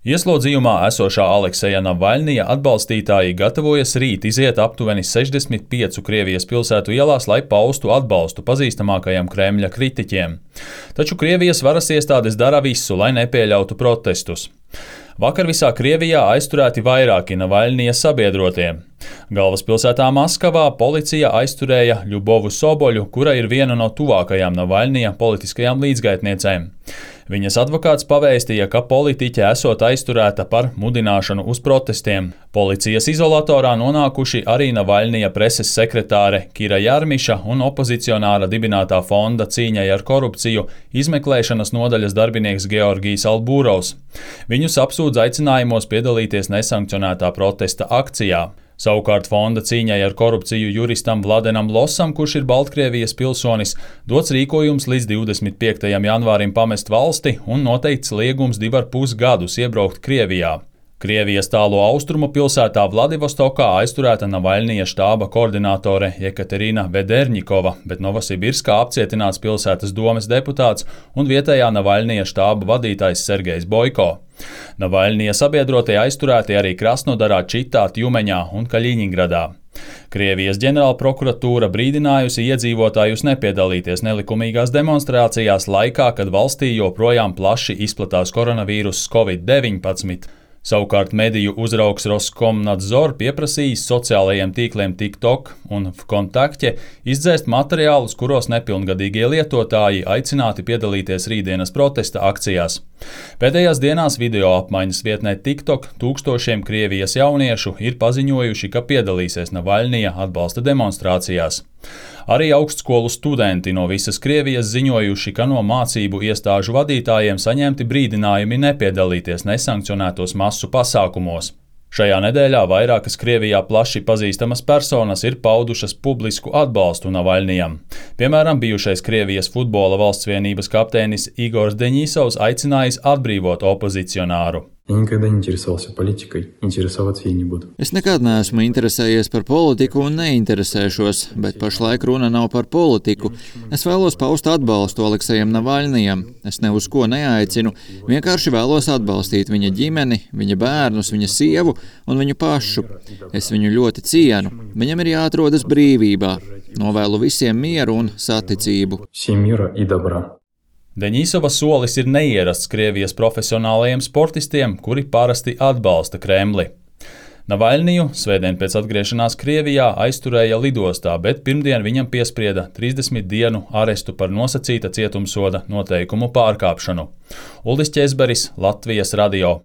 Ieslodzījumā esošā Alekseja Navaļnija atbalstītāji gatavojas rīt iziet aptuveni 65 Krievijas pilsētu ielās, lai paustu atbalstu pazīstamākajiem Kremļa kritiķiem. Taču Krievijas varas iestādes dara visu, lai nepieļautu protestus. Vakar visā Krievijā aizturēti vairāki Navaļnija sabiedrotie. Galvaspilsētā Maskavā policija aizturēja Ļubovu Soboļu, kura ir viena no tuvākajām Navaļnija politiskajām līdzgaitniecēm. Viņas advokāts pavēstīja, ka politiķe esot aizturēta par mudināšanu uz protestiem. Policijas izolatorā nonākuši arī Navaļnija preses sekretāre Kira Jarmiša un opozicionāra dibinātā fonda cīņai ar korupciju izmeklēšanas nodaļas darbinieks Georgijs Albūrovs. Viņus apsūdz aicinājumos piedalīties nesankcionētā protesta akcijā. Savukārt fonda cīņai ar korupciju juristam Vladenam Losam, kurš ir Baltkrievijas pilsonis, dots rīkojums līdz 25. janvārim pamest valsti un noteikts liegums 2,5 gadus iebraukt Krievijā. Krievijas tālo austrumu pilsētā Vladivostokā aizturēta Navaļnija štāba koordinātore Jekaterina Vederņikova, bet Novosibirskā apcietināts pilsētas domes deputāts un vietējā Navaļnija štāba vadītājs Sergejs Boiko. Navaļnija sabiedrotie aizturēti arī Krasnodarā, Čitā, Tjumeņā un Kaļiņingradā. Krievijas ģenerālprokuratūra brīdinājusi iedzīvotājus nepiedalīties nelikumīgās demonstrācijās laikā, kad valstī joprojām plaši izplatās koronavīruss Covid-19. Savukārt mediju uzraugs Roskomnadzor pieprasījis sociālajiem tīkliem TikTok un Vkontakte izdzēst materiālus, kuros nepilngadīgie lietotāji aicināti piedalīties rītdienas protesta akcijās. Pēdējās dienās video apmaiņas vietnē TikTok tūkstošiem Krievijas jauniešu ir paziņojuši, ka piedalīsies Navaļnija atbalsta demonstrācijās. Arī augstskolu studenti no visas Krievijas ziņojuši, ka no mācību iestāžu vadītājiem saņemti brīdinājumi nepiedalīties nesankcionētos masu pasākumos. Šajā nedēļā vairākas Krievijā plaši pazīstamas personas ir paudušas publisku atbalstu Navaļnijam. Piemēram, bijušais Krievijas futbola valsts vienības kapteinis Igors Deņisovs aicinājis atbrīvot opozicionāru. Es nekad neesmu interesējies par politiku un neinteresēšos, bet pašlaik runa nav par politiku. Es vēlos paust atbalstu Aleksejam Navaļnijam. Es ne uz ko neaicinu, vienkārši vēlos atbalstīt viņa ģimeni, viņa bērnus, viņa sievu un viņu pašu. Es viņu ļoti cienu. Viņam ir jāatrodas brīvībā. Novēlu visiem mieru un saticību. Deņisova solis ir neierasts Krievijas profesionālajiem sportistiem, kuri parasti atbalsta Kremli. Navaļniju svētdien pēc atgriešanās Krievijā aizturēja lidostā, bet pirmdien viņam piesprieda 30 dienu arestu par nosacīta cietumsoda noteikumu pārkāpšanu. Uldis Ķezberis, Latvijas radio.